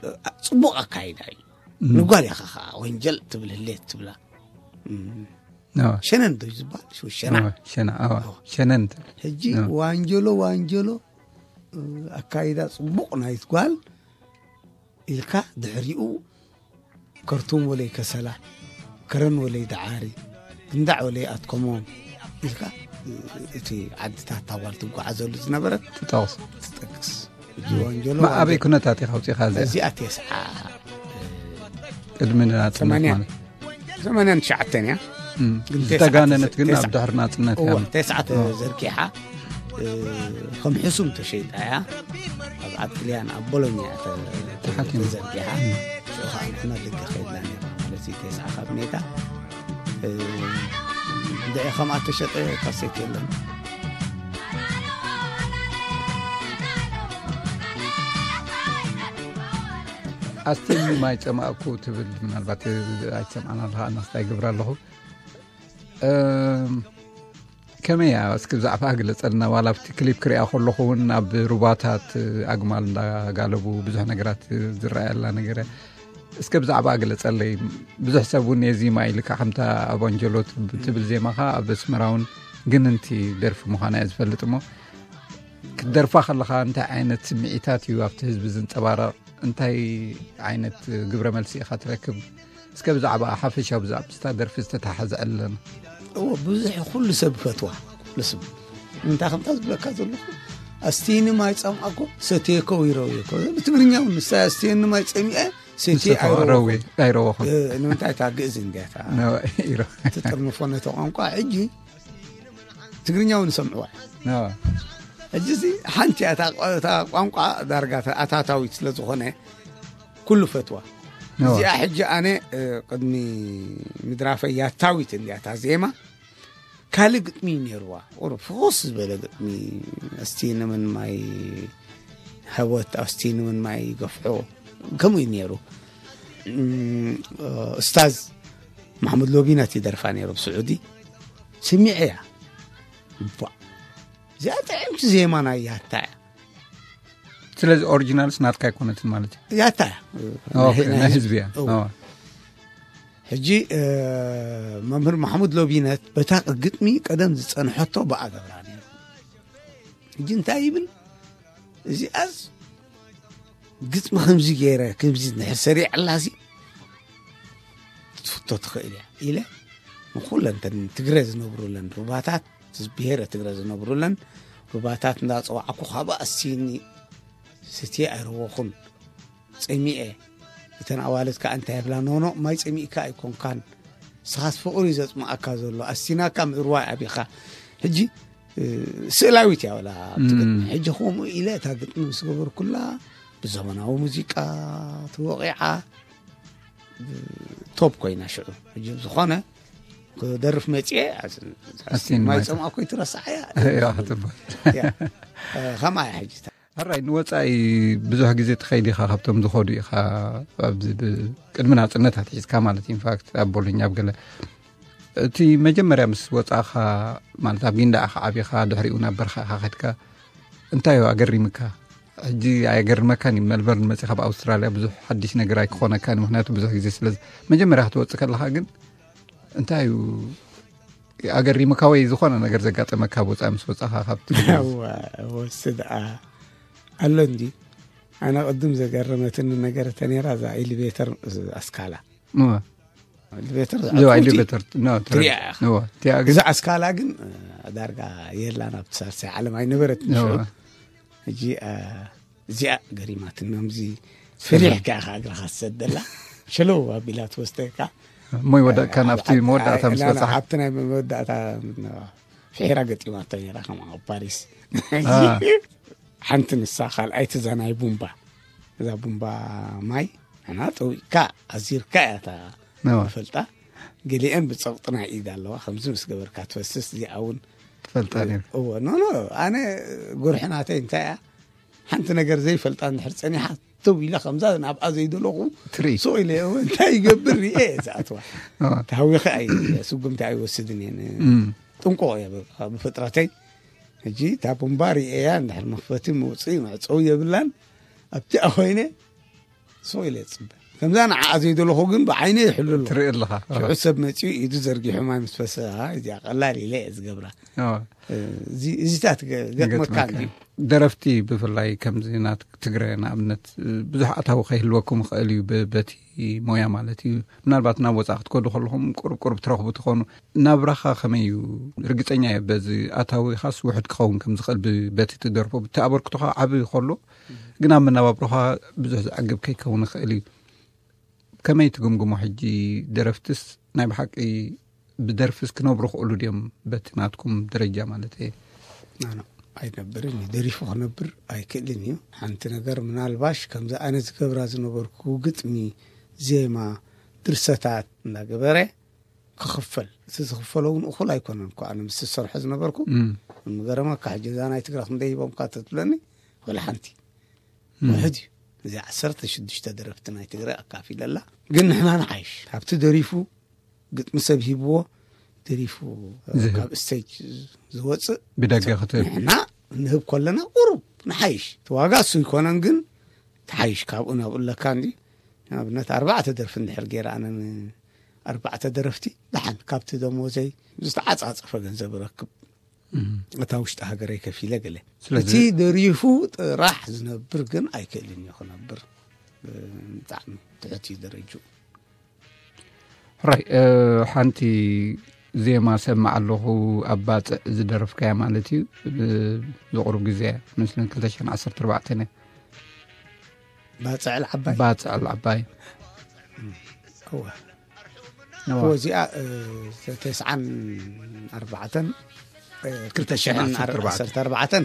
እ፣ ጽቡቕ ኣካይዳ እዩ። እም። ንጓል ኢኻ ኸዓ ወንጀል ትብል ህሌት ትብላ። እም። እዋ። ሸነን ዶ እዩ ዝበሃል? ሽው ሸና? እዋ፣ ሸና፣ እዋ። እዋ። ሸነን ትብል። ሕጂ እዋ። ዋንጀሎ፣ ዋንጀሎ፣ እ፣ ኣካይዳ ጽቡቕ ናይት ጓል ኢልካ ድሕሪኡ ከርቱም ወለይ ከሰላ፣ ከረን ወለይ ደዓሪ፣ ግንዳዕ ወለይ ኣትኮሞም ኢልካ፣ እ፣ እቲ ዓድታት ታጓል ትጓዓዘሉ ዝነበረት ትጠቕስ። ትጠቅስ። ሕጂ ወንጀሎ ማ-፣ ኣበይ ዋንጀሎ። ኩነታት ኢኻ ኣውጺኻ እዚኣ? እዚኣ ተስዓ፣ ቅድሚ ናጽነት ሰማንያ። ማለት። ሰማንያን ትሽዓተን እያ። እም። ግን ዝተጋነነት ግን ኣብ ተስዓ፣ ድሕሪ ናጽነት እያ። እዋ፣ ተስዓ እዋ። ተዘርጊሓ፣ እ፣ ከም ሕሱም ተሸይጣ እያ። ኣብ ዓዲ ጥልያን ኣብ ቦሎኛ እያ ተ-፣ ተሓኪማ። ተዘርጊሓ። እም። ሽዑ ኸዓ ንሕና ደገ ኸይድና ነርና ማለት እዩ። ተስዓ ካብ ሜታ፣ እ፣ ድዒ ከምኣ ተሸጠ ካሴት የለን። ኣስቲኒ ማይ ጸማእኩ ትብል ምናልባት ኣይትሰምዓን ኣለኻ፣ ኣነስ እንታይ ይገብር ኣለኹ። እም፣ ከመይ እያ? እስኪ ብዛዕባ ግለጸልና። ዋላ ኣብቲ ክሊፕ ክሪኣ ከለኹ እውን ኣብ ሩባታት ኣግማል እንዳጋለቡ ብዙሕ ነገራት ዝረኣየላ ነገር እያ። እስከ ብዛዕባ ግለጸለይ። ብዙሕ ሰብ እውን ነዚ ማይ ኢልካ ከምታ ኣብ ኣንጀሎ ትብ-፣ ትብል ዜማኻ ኣብ ኣስመራ እውን ግንንቲ ደርፊ ምዃና እየ ዝፈልጥ እሞ ክትደርፋ ከለኻ እንታይ ዓይነት ስምዒታት እዩ ኣብቲ ህዝቢ ዝንጸባረቕ? እንታይ ዓይነት ግብረ መልሲ ኢኻ ትረክብ? እስከ ብዛዕባ ሓፈሻዊ ብዛዕባ ምስታ ደርፊ ዝተተሓዘ ዕለና። እዎ፣ ብዙሕ ኩሉ ሰብ ይፈትዋ። ኩሉ ሰብ። እንታይ ከምታ ዝብለካ ዘለኹ? ኣስቲኒ ማይ ጸምኣኮ፣ ሰትየኮ ይረውየኮ። ብትግርኛ እውን ንሳ ኣስቲኒ ማይ ጸሚአ፣ ሰትየ ንሰትዮ ኣይረወኹን። ረውየ፣ ኣይረወኹን። እ፣ ንምንታይ እታ ግእዝ እንድያ እታ ነ-፣ ይረ-፣ ትጥርንፎ ነቲ ቋንቋ። ሕጂ ትግርኛ እውን ይሰምዕዋ። ነ-፣ ሕጂ እዚ ሓንቲ እያ፣ እታ ቋ-፣ እታ ቋንቋ ዳርጋ ኣታታዊት ስለ ዝኾነ ኩሉ ፈትዋ። ነ-፣ እዚኣ ሕጂ ኣነ፣ እ፣ ቅድሚ ምድራፈይ ያታዊት እንድያ እታ ዜማ። ካልእ ግጥሚ እዩ ነይርዋ። ቁሩብ ፍኹስ ዝበለ ግጥሚ፣ ኣስቲ ንመን ማይ ሃወት፣ ኣስቲ ንመን ማይ ገፍሖ፣ ከምኡ እዩ ነይሩ። እም፣ ኡስታዝ ማሕሙድ ሎቢነት ይደርፋ ነይሩ ብስዑዲ። ስሚዐያ። እባ፣ እዚኣ ጥዕምቲ ዜማ ናይ ያታ እያ። ስለዚ ኦሪጂናልስ ናትካ ኣይኮነትን ማለት እዩ? ያታ እያ። ኦኬ፣ ናይ ናይ ህዝቢ። ህዝቢ እያ። እዎ። ኦ። ሕጂ፣ እ፣ መምህር ማሕሙድ ሎቢነት በታ ግጥሚ ቀደም ዝጸንሐቶ ብኣ ገብራ ነይሩ። ሕጂ እንታይ ይብል? እዚኣስ ግጥሚ ከምዚ ገይረ፣ ከምዚ እንድሕር ሰሪዐላሲ ክትፍቶ ትኽእል እያ ኢለ፣ ንኹለን እተን ትግረ ዝነብሩለን ሩባታት፣ ብሄረ ትግረ ዝነብሩለን ሩባታት እንዳጸዋዕኩ፣ ካብኣ ኣስቲኒ ስትየ ኣይረወኹን። ጸሚኤ። እተን ኣዋልድ ከኣ እንታይ ይብላ? ኖኖ፣ ማይ ጸሚእካ ኣይኮንካን። ንስኻስ ፍቕሪ እዩ ዘጽምኣካ ዘሎ። ኣስቲናካ ምእርዋይ ኣቢኻ። ሕጂ፣ እ፣ ስእላዊት እያ ወላ ኣብ ትግርኛ። እም። ሕጂ ከምኡ ኢለ እታ ግጥሚ ምስ ገበርኩላ፣ ብዘመናዊ ሙዚቃ ተወቒዓ፣ እ፣ ቶፕ ኮይና ሽዑ። ሕጂ ብዝኾነ ክደርፍ መጽየ፣ ኣስ-፣ ኣስቲኒ ማይ ማይ ጸምኣ ኮይትረሳዕ እያ። እያ፣ ትበል። እያ። እ፣ ከምኣ እያ ሕጂ። ሕራይ፣ ንወጻኢ ብዙሕ ግዜ ትኸይድ ኢኻ፣ ካብቶም ዝኸዱ ኢኻ፣ ኣብዚ ብ-፣ ቅድሚ ናጽነት ኣትሒዝካ ማለት፣ ኢንፋክት፣ ኣብ ቦሎኛ፣ ኣብ ገለ። እቲ መጀመርያ ምስ ወጻእኻ፣ ማለት፣ ኣብ ጊንዳዕ ኢኻ ዓቢኻ፣ ድሕሪኡ ናብ በርኻ ኢኻ ከድካ፣ እንታይ እዩ ኣገሪምካ? ሕጂ ኣየገርመካን እዩ፣ ሜልበርን መጺኻ፣ ኣብ ኣውስትራልያ ብዙሕ ሓድሽ ነገር ኣይክኾነካን እዩ፣ ምኽንያቱ ብዙሕ ግዜ ስለ ዝ-፣ መጀመርያ ክትወጽእ ከለኻ ግን እንታይ እዩ ኣገሪምካ ወይ ዝኾነ ነገር ዘጋጠመካ ኣብ ወጻኢ ምስ ወጻኻ ካብቲ? እዋ፣ እወ፣ እሱ ደኣ ኣሎ እንዲ። ኣነ ቅድም ዘገረመትኒ ነገር እተ ነይራ እዛ ኤሊቬተር ኣስካላ። እወ። ኤሊቬተር እዛ ኣብ እዚኣ ፎርቲ ኤሊቬተር፣ ኖ፣ ትሪኣ ኢኻ። እወ፣ እቲኣ ግን እዛ ኣስካላ ግን፣ እ፣ ዳርጋ የላን ኣብቲ ሳልሳይ ዓለም ኣይነበረትን ሽዑ። እወ። ሕጂ፣ እ፣ እዚኣ ገሪማትና፣ ከምዚ ፈሪሕካ ኢኻ እግርኻ ትሰደላ፣ ሸለው ኣቢላ ትወስደካ። እሞ ይወደቅካ ኣብ ናብቲ ዓዲ-፣ መወዳእታ ምስ ና-፣ ና-፣ በጻሕ። ኣብቲ ናይ መወዳእታ ፍሒራ ገጢማቶ ነይራ፣ ከምኣ ኣብ ፓሪስ። አ። ሓንቲ ንሳ፣ ካልኣይቲ እዛ ናይ ቡምባ። እዛ ቡምባ ማይ ንሕና ጠዊቕካ ኣዚርካ እያ እታ ንፈልጣ። ገሊአን ብጸቕጢ ናይ ኢድ ኣለዋ፣ ከምዚ ምስ ገበርካ ትፈስስ። እዚኣ እውን ትፈልጣ ነይሩ። እወ፣ ኖ፣ ኖ፣ ኣነ ጉርሒ ናተይ እንታይ እያ፣ ሓንቲ ነገር ዘይፈልጣ እንድሕር ጸኒሓ፣ ተው ኢለ ከምዛ ናብኣ ዘይደለኹ ትርኢ። ሱቕ ኢለ እወ እንታይ ይገብር ርኤ እየ ዝኣትዋ። እወ። ተሃዊኸ ኣይ ስጉምቲ ኣይወስድን እየ። ጥንቁቕ እየ ብ- ብፍጥረተይ። ሕጂ እታ ቡምባ ርኤያ እንድሕር መኽፈቲ መውፅኢ መዕፀዊ የብላን። ኣብቲ ኮይነ ሱቕ ኢለ እፅበ። ከምዛ ንዓኣ ዘይደለኹ ግን ብዓይነ ይሕሉ ኣለኹ። ትርኢ ኣለኻ። ሽዑ ሰብ መፂኡ ኢዱ ዘርጊሑ ማይ ምስ ፈሰሳ እዚኣ ቀላል ኢለ እየ ዝገብራ። እወ። እዚ- እዚታት ገ- ገጥመካ ይገጥመካ። እንድዩ። ደረፍቲ ብፍላይ ከምዚ ናት ትግረ ንኣብነት ብዙሕ ኣታዊ ከይህልወኩም ይኽእል እዩ ብ- በቲ ሞያ ማለት እዩ። ምናልባት ናብ ወፃኢ ክትከዱ ከለኹም ቁሩብ ቁሩብ ትረኽቡ ትኾኑ። ናብራኻ ከመይ እዩ? ርግፀኛ እየ በዚ ኣታዊኻስ ውሑድ ክኸውን ከም ዝኽእል ብ- በቲ ትደርፎ ብቲ ኣበርክቶኻ ዓቢ ከሎ ግን ኣብ መነባብሮኻ ብዙሕ ዝዓግብ ከይከውን ይኽእል እዩ። ከመይ ትግምግሞ ሕጂ? ደረፍትስ ናይ ብሓቂ ብደርፍስ ክነብሩ ክእሉ ድዮም? በቲ ናትኩም ደረጃ ማለት እየ። ናኖ ኣይነብርን እዩ። ደሪፉ ክነብር ኣይክእልን እዩ። ሓንቲ ነገር ምናልባሽ ከምዚ ኣነ ዝገብራ ዝነበርኩ ግጥሚ፣ ዜማ፣ ድርሰታት እንዳገበረ ክኽፈል፣ እቲ ዝኽፈሎ እውን እኹል ኣይኮነን እኮ። ኣነ ምስ ዝሰርሖ ዝነበርኩ እም። ምገረመካ ሕጂ እዛ ናይ ትግራ ክንደይ ሂቦምካ ተትብለኒ ወላ ሓንቲ ውሕድ እዩ። እዚ ዓሰርተ ሽዱሽተ ደረፍቲ ናይ ትግረ ኣካፊለላ። ግን ንሕና ንሓይሽ ካብቲ ደሪፉ ግጥሚ ሰብ ሂብዎ ደሪፉ ዝህብ። ካብ ስቴጅ ዝወፅእ ብደገ ክትህብ። ንሕና ንህብ ከለና ቁሩብ ንሓይሽ። እቲ ዋጋ እሱ ይኮነን ግን ትሓይሽ ካብኡ ናብኡ ኣለካ እንዲ። ንኣብነት ኣርባዕተ ደርፊ እንድሕር ገይረ ኣነ ኣርባዕተ ደረፍቲ ደሓን ካብቲ ደሞዘይ ዝተዓፃፀፈ ገንዘብ ረክብ። እታ ውሽጢ ሃገረይ ከፊለ ገለ ስለዚ እቲ ደሪፉ ጥራሕ ዝነብር ግን ኣይክእልን እዩ ክነብር። ብጣዕሚ ትሕት እዩ ደረጅኡ። ሕራይ ሓንቲ ዜማ ሰምዕ ኣለኹ ኣብ ባፅዕ ዝደረፍካያ ማለት እዩ። ዝቕሩብ ግዜ መስለን ክልተ ሽሕን ዓሰርተ ኣርባዕተን እያ። ባፅዕ ዓባይ ባፅዕ ዓባይ እወ እወ። እወ እዚኣ ተስዓን ኣርባዕተን ክልተ ሽሕን ዓሰርተ ኣርባዕተን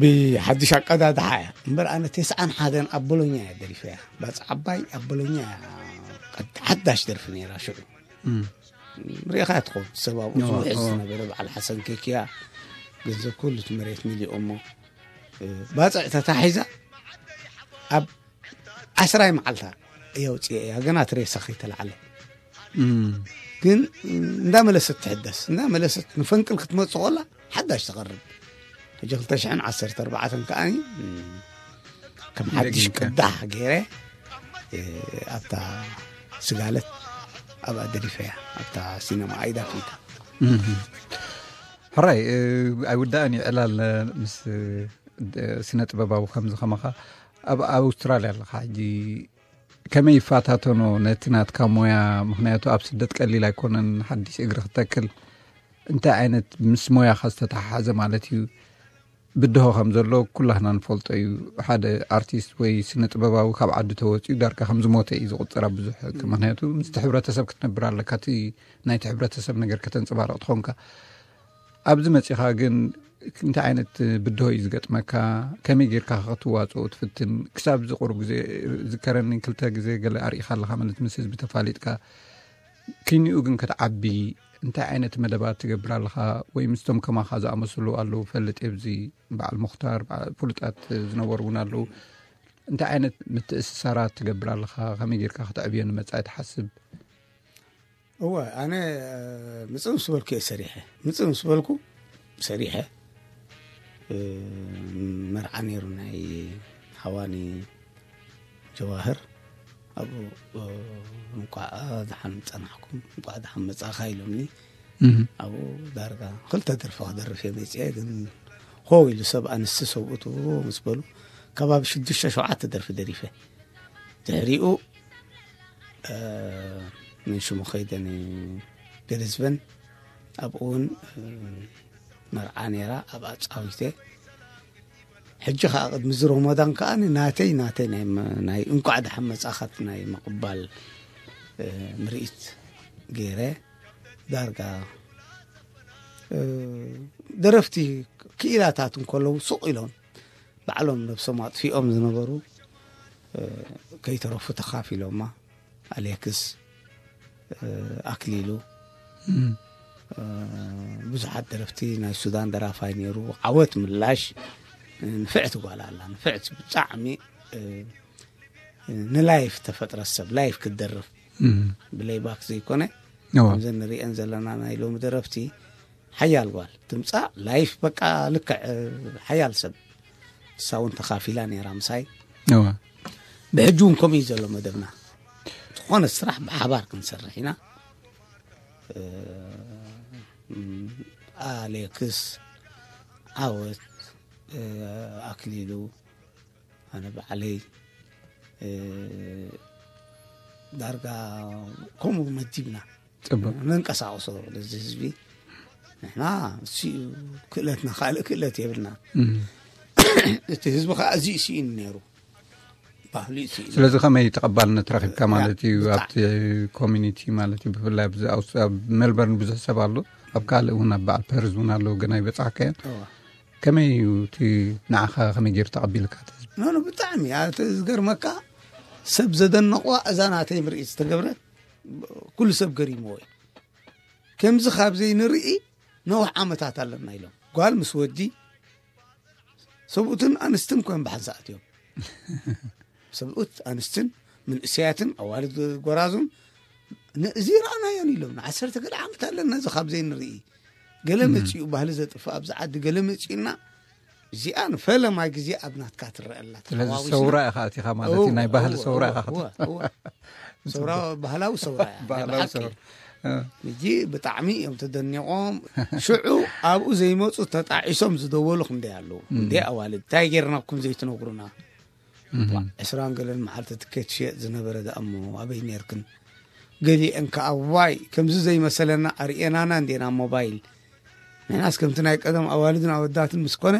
ብሓድሽ ኣቀዳድሓ እያ እምበር ኣነ ተስዓን ሓደን ኣብ ቦሎኛ እያ ደሪፈያ። ባፅዕ ዓባይ ኣብ ቦሎኛ እያ ሓዳሽ ደርፊ ነይራ ሽዑ። ርኢኻ ትኸውን ሰብ ኣብኡ ዝውሕዝ ዝነበረ በዓል ሓሰን ኬክያ ገንዘብ ኩሉ እቲ መሬት ሚሊኦሞ ባፅዕ ተታሒዛ ኣብ ዓስራይ መዓልታ እየውፅኤ እያ ገና ትሬሳ ከይተላዓለ ግን እንዳመለሰት ትሕደስ እንዳመለሰት ንፈንቅል ክትመፅእ ኮላ ሓዳሽ ተቐርብ። ሕጂ ክልተ ሽሕን ዓሰርተ ኣርባዕተን ከኣ ከም ሓድሽ ቅዳሕ ገይረ ኣብታ ስጋለት ኣብኣ ደሪፈያ ኣብታ ሲነማ ኣይዳ ፊልታ። ሕራይ ኣይውዳእን እዩ ዕላል ምስ ስነ ጥበባዊ ከምዚ ከማኻ ኣብ ኣውስትራልያ ኣለኻ ሕጂ ከመይ ይፈታተኖ ነቲ ናትካ ሞያ? ምክንያቱ ኣብ ስደት ቀሊል ኣይኮነን ሓድሽ እግሪ ክተክል። እንታይ ዓይነት ምስ ሞያኻ ዝተተሓሓዘ ማለት እዩ? ብድሆ ከም ዘሎ ኩላህና ንፈልጦ እዩ። ሓደ ኣርቲስት ወይ ስነ ጥበባዊ ካብ ዓዲ ተወፂኡ ዳርጋ ከም ዝሞተ እዩ ዝቁፅር ኣብ ብዙሕ። ምክንያቱ ምስቲ ሕብረተሰብ ክትነብር ኣለካ፣ እቲ ናይቲ ሕብረተሰብ ነገር ከተንፅባረቕ ትኾንካ። ኣብዚ መፂኻ ግን እንታይ ዓይነት ብድሆ እዩ ዝገጥመካ? ከመይ ጌርካ ክትዋፅኦ ትፍትን? ክሳብ ዝቁሩብ ግዜ ዝከረኒ ክልተ ግዜ ገለ ኣርኢኻ ኣለኻ ማለት ምስ ህዝቢ ተፋሊጥካ። ክኒኡ ግን ክትዓቢ እንታይ ዓይነት መደባት ትገብር ኣለኻ? ወይ ምስቶም ከማኻ ዝኣመሰሉ ኣለዉ ፈልጥ የብዚ በዓል ሙኽታር በዓል ፍሉጣት ዝነበሩ እውን ኣለዉ። እንታይ ዓይነት ምትእስሳራት ትገብር ኣለኻ? ከመይ ጌርካ ክትዕብዮ ንመጻኢ ትሓስብ? እወ ኣነ ምጽእ ምስ በልኩ እየ ሰሪሐ። ምጽእ ምስ በልኩ ሰሪሐ። መርዓ ነይሩ ናይ ሓዋኒ ጀዋህር ኣብኡ እንቋዕ ደሓን ጸናሕኩም እንቋዕ ደሓን መጻእኻ ኢሎምኒ። ኣብኡ ዳርጋ ክልተ ደርፊ ክደርፍ እየ መጺአ ግን ሆው ኢሉ ሰብ ኣንስቲ ሰብኡት ምስ በሉ ከባቢ ሽዱሽተ ሸውዓተ ደርፊ ደሪፈ። ድሕሪኡ ምን ሽሙ ከይደ ንብሪዝበን ኣብኡ እውን መርዓ ነይራ ኣብኣ ጻዊተ። ሕጂ ከዓ ቅድሚ እዚ ሮሞዳን ከዓ ናተይ ናተይ ናይ እንቋዕ ደሓን መጻኻት ናይ ምቕባል ምርኢት ገይረ። ዳርጋ ደረፍቲ ክኢላታት እንከለዉ ሱቕ ኢሎም ባዕሎም ነብሶም ኣጥፊኦም ዝነበሩ ከይተረፉ ተኻፊሎማ። ኣሌክስ፣ ኣክሊሉ፣ ብዙሓት ደረፍቲ፣ ናይ ሱዳን ደራፋይ ነይሩ። ዓወት ምላሽ፣ ንፍዕቲ ጓል ኣላ፣ ንፍዕቲ ብጣዕሚ ንላይፍ ተፈጥረ ሰብ፣ ላይፍ ክትደርፍ ብሌይባክ ዘይኮነ፣ ከምዘን ንሪአን ዘለና ናይ ሎሚ ደረፍቲ ሓያል ጓል ትምፃእ ላይፍ በቃ ልክዕ ሓያል ሰብ። እሳ እውን ተኻፊላ ነይራ ምሳይ። ብሕጂ እውን ከምኡ እዩ ዘሎ መደብና። ዝኾነ ስራሕ ብሓባር ክንሰርሕ ኢና። ኣሌክስ፣ ዓወት፣ ኣክሊሉ፣ ኣነ ባዕለይ፣ ዳርጋ ከምኡ መዲብና ፅቡቅ ነንቀሳቅሶ ነዚ ህዝቢ። ንሕና እሱ ክእለትና፣ ካልእ ክእለት የብልና። እቲ ህዝቢ ከዓ እዚ ስኢኑ ነይሩ፣ ባህሉ ስኢኑ። ስለዚ ከመይ ተቐባልነት ረኺብካ ማለት እዩ ኣብቲ ኮሚኒቲ ማለት እዩ? ብፍላይ ኣብዚ ኣብ ሜልበርን ብዙሕ ሰብ ኣሎ፣ ኣብ ካልእ እውን ኣብ በዓል ፐርዝ እውን ኣለዉ፣ ግን ኣይበፃሕካዮን። ከመይ እዩ እቲ ንዓኻ ከመይ ገይሩ ተቐቢልካ እቲ ህዝቢ? ኖ ኖ ብጣዕሚ እቲ ዝገርመካ ሰብ ዘደነቑዋ እዛ ናተይ ምርኢት ዝተገብረት ኩሉ ሰብ ገሪምዎ እዩ። ከምዚ ካብ ዘይንርኢ ነዊሕ ዓመታት ኣለና ኢሎም። ጓል ምስ ወዲ፣ ሰብኡትን ኣንስትን ኮይም ብሓንሳእ ኣትዮም። ሰብኡት ኣንስትን ምንእሰያትን ኣዋልድ ጎራዙን፣ እዚ ረኣናዮን ኢሎም። ንዓሰርተ ገለ ዓመት ኣለና እዚ ካብ ዘይንርኢ። ገለ መፂኡ ባህሊ ዘጥፍእ ኣብዚ ዓዲ ገለ መፂኡና። እዚኣ ንፈለማይ ግዜ ኣብ ናትካ ትረአ ኣላ። ስለዚ ተሓዋዊስና። ሰውራ ኢኻ ኣቲኻ ማለት እዩ፣ ናይ ባህሊ እወ፣ ሰውራ እወ፣ ኢኻ። እወ፣ እወ። ሰውራ ባህላዊ ሰውራ እያ፣ ናይ ባህላዊ ብሓቂ። ሰውራ። እ። ሕጂ ብጣዕሚ እዮም ተደኒቖም። ሽዑ ኣብኡ ዘይመፁ ተጣዒሶም ዝደወሉ ክንደይ ኣለዉ። እንደ ኣዋልድ እንታይ ጌርናኩም ዘይትነግሩና? ዕስራን ገለን መዓልቲ ትኬት ሽየጥ ዝነበረ ደኣ እሞ ኣበይ ኔርክን? ገሊአን ከኣ ዋይ ከምዚ ዘይመሰለና ኣርእየናና እንዴና ሞባይል። ንሕናስ ከምቲ ናይ ቀደም ኣዋልድን ኣወዳትን ምስ ኮነ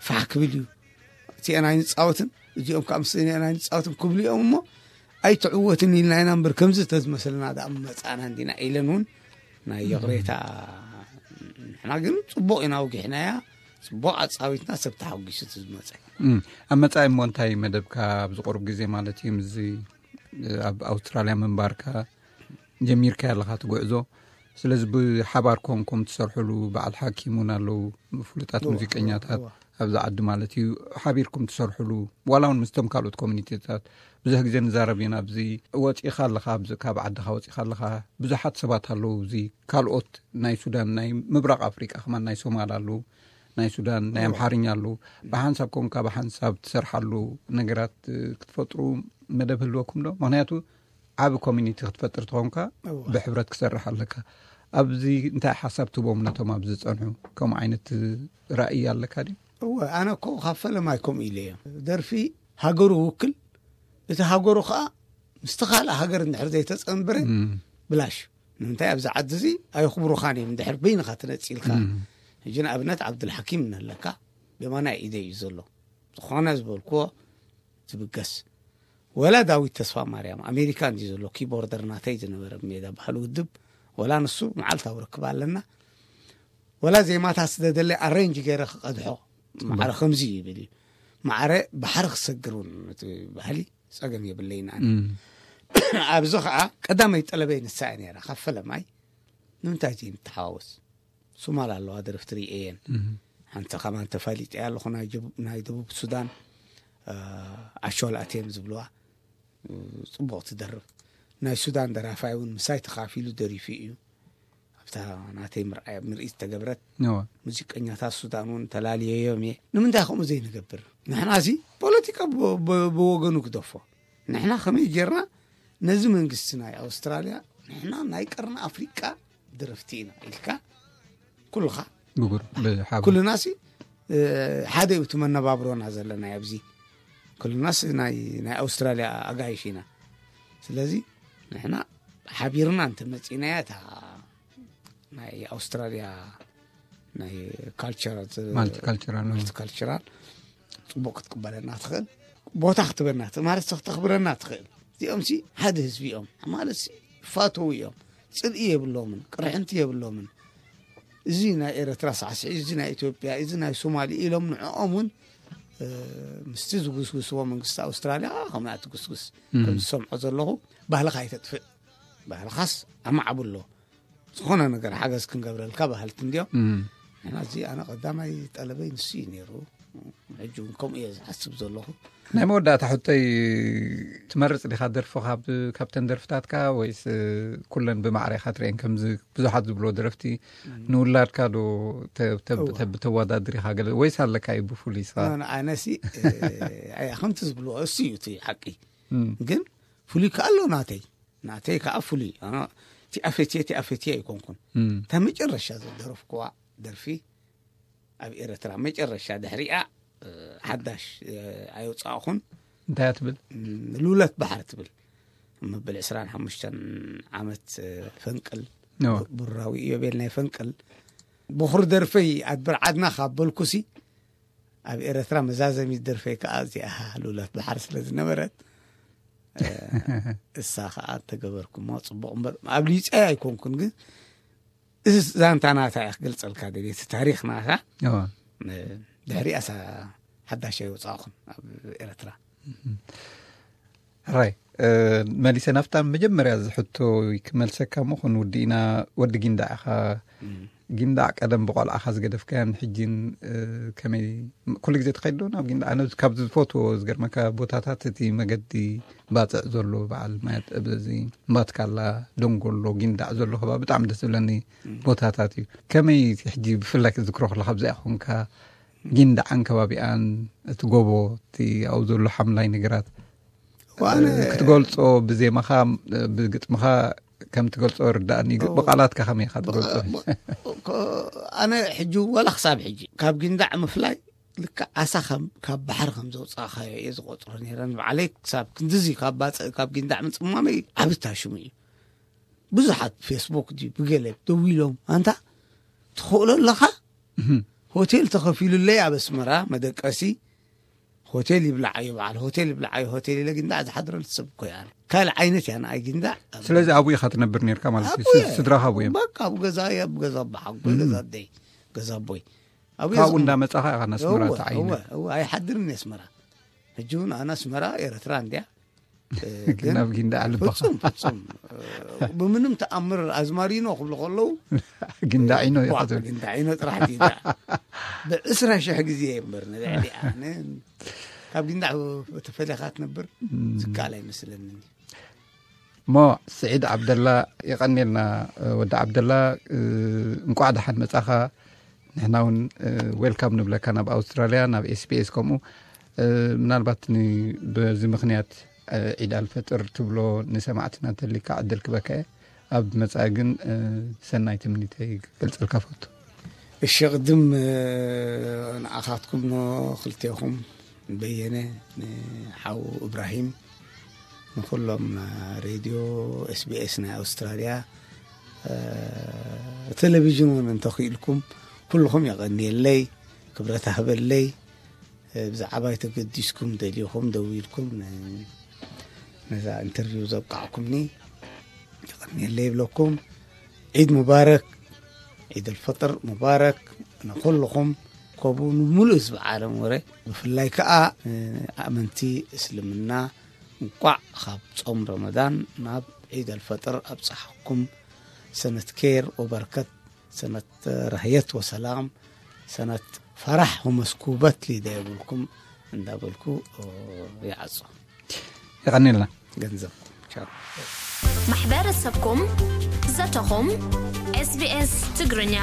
ፋሕ ክብል እዩ። እቲአን ኣይንጻወትን፣ እዚኦም ከዓ ምስአን ኣይንጻወትን ክብሉ እዮም እሞ ኣይትዕወትን ኢልና ኢና እምበር ከምዚ ተዝመሰለና ደኣ መጻእና እንዲና ኢለን እውን ናይ ይቕሬታ። ንሕና ግን ጽቡቕ ኢና ኣውጊሕናያ፣ ጽቡቕ ኣጻዊትና ሰብ ተሓጒሱ እቲ ዝመጸ። እም፣ ኣብ መጻኢ እሞ እንታይ መደብካ ኣብዚ ቁሩብ ግዜ ማለት እዩ ምስዚ ኣብ ኣውስትራልያ ምንባርካ ጀሚርካ ኣለኻ እቲ ጉዕዞ? ስለዚ ብሓባር ኮንኩም ትሰርሕሉ በዓል ሓኪም እውን ኣለዉ፣ ፍሉጣት እዋ፣ ሙዚቀኛታት እዋ፣ እዋ። ኣብዚ ዓዲ ማለት እዩ፣ ሓቢርኩም ትሰርሕሉ ዋላ እውን ምስቶም ካልኦት ኮሚኒቲታት ብዙሕ ግዜ ንዛረብ ኢና። ኣብዚ ወፂእኻ ኣለኻ፣ ኣብዚ ካብ ዓድኻ ወፂእኻ ኣለኻ፣ ብዙሓት ሰባት ኣለዉ፣ እዚ ካልኦት ናይ ሱዳን፣ ናይ ምብራቕ ኣፍሪቃ ከማን ናይ ሶማል ኣለዉ፣ ናይ ሱዳን ናይ ኣምሓርኛ ኣለዉ። ብሓንሳብ ኮንካ ብሓንሳብ ትሰርሓሉ ነገራት እ፣ ክትፈጥሩ መደብ ህልወኩም ዶ? ምክንያቱ ዓቢ ኮሚኒቲ ክትፈጥር ተኾንካ እዋ። ብሕብረት ክሰርሕ ኣለካ። ኣብዚ እንታይ ሓሳብ ትቦም ነቶም ኣብዚ ዝጸንሑ? ከምኡ ዓይነት ራእይ ኣለካ ድዩ? እወ፣ ኣነ እኮ ካብ ፈለማይ ከምኡ ኢለ እየ። ደርፊ ሃገሩ ውክል፣ እቲ ሃገሩ ከዓ ምስቲ ካልእ ሃገር እንድሕር ዘይተጸንበረ እም። ብላሽ። ንምንታይ ኣብዚ ዓዲ እዚ ኣየኽብሩኻን እዮም እንድሕር በይንኻ ትነጽእ ኢልካ። እም። ሕጂ ንኣብነት ዓብዱልሓኪም ኣለካ፣ ብየማናይ ኢደ እዩ ዘሎ። ዝኾነ ዝበልክዎ ዝብገስ። ወላ ዳዊት ተስፋ ማርያም ኣሜሪካ እንዲ ዘሎ ኪቦርደር ናተይ ዝነበረ ሜዳ ባህሊ ውድብ፣ ወላ ንሱ መዓልታዊ ርክብ ኣለና። ወላ ዜማታት ስደደለይ ኣሬንጅ ገይረ ክቐድሖ። ማዕረ ከምዚ ይብል እዩ። ማዕረ ባሕሪ ክሰግር እውን እቲ ባህሊ ጸገም የብለይን ኣነ። እም። ኣብዚ ኸዓ ቀዳመይ ጠለበይ ንሳ እያ ነይራ። ካብ ፈለማይ ንምንታይ ዘይንተሓዋወስ? ሶማል ኣለዋ ደረፍቲ ርእየን። እም። ሓንቲ ከማን ተፋሊጠ ኣለኹ ናይ ጀቡ-፣ ናይ ደቡብ ሱዳን፣ እ፣ ኣሾል ኣቴም ዝብልዋ፣ እ፣ ጽቡቕ ትደርፍ። ናይ ሱዳን ደራፋይ እውን ምሳይ ተኻፊሉ ደሪፉ እዩ። ኣብታ ናተይ ምርኣይ፣ ምርኢት ተገብረት። እዋ። ሙዚቀኛታት ሱዳን እውን ተላልየዮም እየ። ንምንታይ ከምኡ ዘይንገብር? ንሕና እዚ ፖለቲካ ብ-፣ ብ-፣ ብወገኑ ግደፎ። ንሕና ከመይ ጌርና ነዚ መንግስቲ ናይ ኣውስትራልያ ንሕና ናይ ቀርኒ ኣፍሪቃ ደረፍቲ ኢና ኢልካ ኩልኻ ብጉር ብሓባር። ኩልና ሲ፣ እ፣ ሓደ እዩ እቲ መነባብሮና ዘለና ኣብዚ። ኩልናስ ናይ፣ ናይ ኣውስትራልያ ኣጋይሽ ኢና። ስለዚ ንሕና ሓቢርና እንተመጺእናያ እታ ናይ ኣውስትራልያ ናይ ካልቸር፣ ማልቲካልቸራል ነው። ማልቲካልቸራል ጽቡቕ ክትቅበለና ትኽእል፣ ቦታ ክትበና ትኽእል፣ ማለት ከተኽብረና ትኽእል። እዚኦም ሲ ሓደ ህዝቢ እዮም ማለት ሲ ይፋተዉ እዮም። ጽልኢ የብሎምን፣ ቅርሕንቲ የብሎምን። እዚ ናይ ኤረትራ ሳዕስዒ፣ እዚ ናይ ኢትዮጵያ፣ እዚ ናይ ሶማሊ ኢሎም ንዕኦም እውን ምስቲ ዝጉስጉስዎ መንግስቲ ኣውስትራልያ ከምኣ ትጉስጉስ። ከም ዝሰምዖ ዘለኹ፣ ባህልኻ ኣይተጥፍእ፣ ባህልኻስ ኣማዕብሎ፣ ዝኾነ ነገር ሓገዝ ክንገብረልካ ባህልቲ እንዲዮም። ንሕና እዚ ኣነ ቀዳማይ ጠለበይ ንሱ እዩ ነይሩ። ሕጂ እውን ከምኡ እየ ዝሓስብ ዘለኹ። ናይ መወዳእታ ሕቶይ፣ ትመርጽ ዲኻ ደርፊ ካብ፣ ካብተን ደርፍታትካ፣ ወይስ ኩለን ብማዕረ ኢኻ ትርእየን? ከምዚ ብዙሓት ዝብልዎ ደረፍቲ፣ ንውላድካ ዶ ተ-፣ ተ-፣ እወ። ተ-፣ ተወዳድር ኢኻ ገለ፣ ወይስ ኣለካ እዩ ብፍሉይ ስኻ? ኖ፣ ኖ፣ ኣነሲ፣ ኣይ፣ ከምቲ ዝብልዎ እሱ እዩ እቲ ሓቂ። ግን ፍሉይ ከኣ ኣሎ ናተይ። ናተይ ከኣ ፍሉይ። ኣነ እቲኣ ፈትየ፣ እቲኣ ፈትየ ኣይኮንኩን። እታ መጨረሻ ዝደረፍኩዋ ደርፊ ኣብ ኤረትራ መጨረሻ ድሕሪኣ፣ ሓዳሽ፣ ኣየውጻእኹን። እንታይ እያ ትብል? ሉለት ባሕሪ ትብል። መበል ዕስራን ሓሙሽተን ዓመት ፈንቅል፣ ቡራዊ ኢዮቤል ናይ ፈንቅል። ብኹሪ ደርፈይ ኣድብር ዓድና ካብ በልኩሲ፣ ኣብ ኤረትራ መዛዘሚት ደርፈይ ከኣ እዚኣ ሉለት ባሕሪ ስለ ዝነበረት፣ እሳ ከኣ ተገበርኩሞ ጽቡቕ እምበር፣ ኣብ ሊጸይ ኣይኮንኩን፣ ግን እዚ ዛንታ ናታ እያ ክገልጸልካ ደልየ፣ እቲ ታሪኽ ናታ። እዋ። ድሕሪኣሳ ሓዳሽ ኣይወጻእኹን ኣብ ኤረትራ። ራይ፣ መሊሰ ናብታ መጀመርያ ዝሕቶ ክመልሰካ እሞ፣ ክንውዲ ኢና። ወዲ ጊንዳዕ ኢኻ። ጊንዳዕ ቀደም ብቆልዓኻ ዝገደፍካያን ሕጂን፣ ከመይ፣ ኩሉ ግዜ ትኸይድ ዶ ናብ ጊንዳዕ? ኣነ ካብ ዝፈትዎ፣ ዝገርመካ፣ ቦታታት እቲ መገዲ ባጽዕ ዘሎ፣ በዓል ማያት፣ እዚ ማትካላ፣ ደንጎሎ፣ ጊንዳዕ ዘሎ ከባቢ ብጣዕሚ ደስ ዝብለኒ ቦታታት እዩ። ከመይ ሕጂ ብፍላይ ክትዝክሮ ከለኻ፣ ኣብዚኣ ኮንካ፣ ጊንዳዕን ከባቢኣን፣ እቲ ጎቦ፣ እቲ ኣብኡ ዘሎ ሓምላይ ነገራት፣ ዋነ ክትገልጾ ብዜማኻ፣ ብግጥምኻ ከም ትገልጾ ርዳእኒ፣ ግ-፣ እው። ብቓላትካ ከመይ ኢኻ ትገልጾ? ብ-፣ ብ-፣ ኮ-፣ ኣነ ሕጂ ወላ ክሳብ ሕጂ ካብ ጊንዳዕ ምፍላይ ልክዕ ዓሳ ከም፣ ካብ ባሕሪ ከም ዘውጻእካዮ እየ ዝቆጽሮ ነይረ። ንባዕለይ ክሳብ ክንድዚ ካብ ባጽዕ፣ ካብ ጊንዳዕ ምጽማመይ ዓቢ ታሽሙ እዩ። ብዙሓት ፌስቡክ ድዩ ብገለ ደዊሎም፣ "ኣንታ ትኽእሎ ኣለኻ?" እህም። ሆቴል ተኸፊሉለይ ኣብ ኣስመራ መደቀሲ፣ ሆቴል ይብላዓዮ፣ በዓል ሆቴል ይብላዓዮ፣ ሆቴል ኢለ ጊንዳዕ ዝሓድረሉ ሰብ እኮ እየ ኣነ። ካልእ ዓይነት እያ ንኣይ ጊንዳዕ። ስለዚ ኣብኡ ኢኻ ትነብር ነርካ ማለት እዩ? ኣብኡ እየ። ስድራኻ ኣብኡ እዮም? በቃ ኣብኡ ገዛ እየ፣ ኣብ ገዛ ኣቦሓጎይ፣ እም። ገዛ ኣደይ፣ ገዛ ኣቦይ። ኣብኡ እየ ካብኡ ዝቕመጥ። እንዳመጻኻ ኢኻ ናስመራ እወ፣ ተዓይነ? እወ፣ እወ፣ ኣይሓድርን እየ ኣስመራ። ሕጂ እውን ኣነ ኣስመራ ኤረትራ እንድያ። እ፣ ግን ግን ናብ ጊንዳዕ ልብኻ። ፍጹም፣ ፍጹም። እ፣ ብምንም ተኣምር ኣዝማሪኖ ክብሉ ከለዉ፣ ጊንዳዒኖ ኢኻ ቧዕ፣ ትብል። ጊንዳዒኖ ጥራሕ ዲዳ። ብዕስራ ሽሕ ግዜ እየ እምበር ንልዕሊ ኣነ ካብ ጊንዳዕ ተፈሊኻ ትነብር እም። ዝከኣል ኣይመስለንን። እሞ ስዒድ ዓብደላ፣ የቐንየልና፣ እ፣ ወዲ ዓብደላ፣ እ፣ እንቋዕ ደሓን መጻኻ። ንሕና እውን፣ እ፣ ዌልካም ንብለካ ናብ ኣውስትራልያ፣ ናብ ኤስ ቢ ኤስ ከምኡ። እ፣ ምናልባት ን-፣ በዚ ምኽንያት፣ እ፣ ዒድ ኣልፈጥር ትብሎ ንሰማዕትና እንተሊካ ዕድል ክበካ እየ። ኣብ መጻኢ ግን፣ እ፣ ሰናይ ትምኒተይ ክገልጸልካ ፈቱ። እሺ፣ ቅድም፣ እ፣ ንኣኻትኩም ኖ ክልቴኹም በየነ፣ ንሓው እብራሂም፣ ንኹሎም ሬድዮ ኤስ ቢ ኤስ ናይ ኣውስትራልያ፣ እ፣ ቴሌቪዥን እውን እንተኽኢልኩም ኩልኹም የቐንየለይ፣ ክብረት ኣህበለይ። እ፣ ብዛዕባይ ተገዲስኩም ደሊኹም ደዊልኩም ን-፣ ነዛ ኢንተርቪው ዘብቃዕኩምኒ የቐንየለይ ይብለኩም። ዒድ ሙባረክ፣ ዒድ ኣልፈጥር ሙባረክ ንኹልኹም፣ ከምኡ ንምሉእ ህዝቢ ዓለም ወረ፣ ብፍላይ ከኣ ንኣመንቲ እስልምና እንቋዕ ካብ ጾም ረመዳን ናብ ዒድ ኣልፈጥር ኣብጽሓኩም። ሰነት ኬር ወበረከት፣ ሰነት ረህየት ወሰላም፣ ሰነት ፈራሕ ወመስኩበት ሊደ የብልኩም እንዳበልኩ ይዓጾ። የቐንየልና። ገንዘብ። ቻው። ማሕበረሰብኩም፣ ዘተኹም፣ ኤስ ቢ ኤስ ትግርኛ።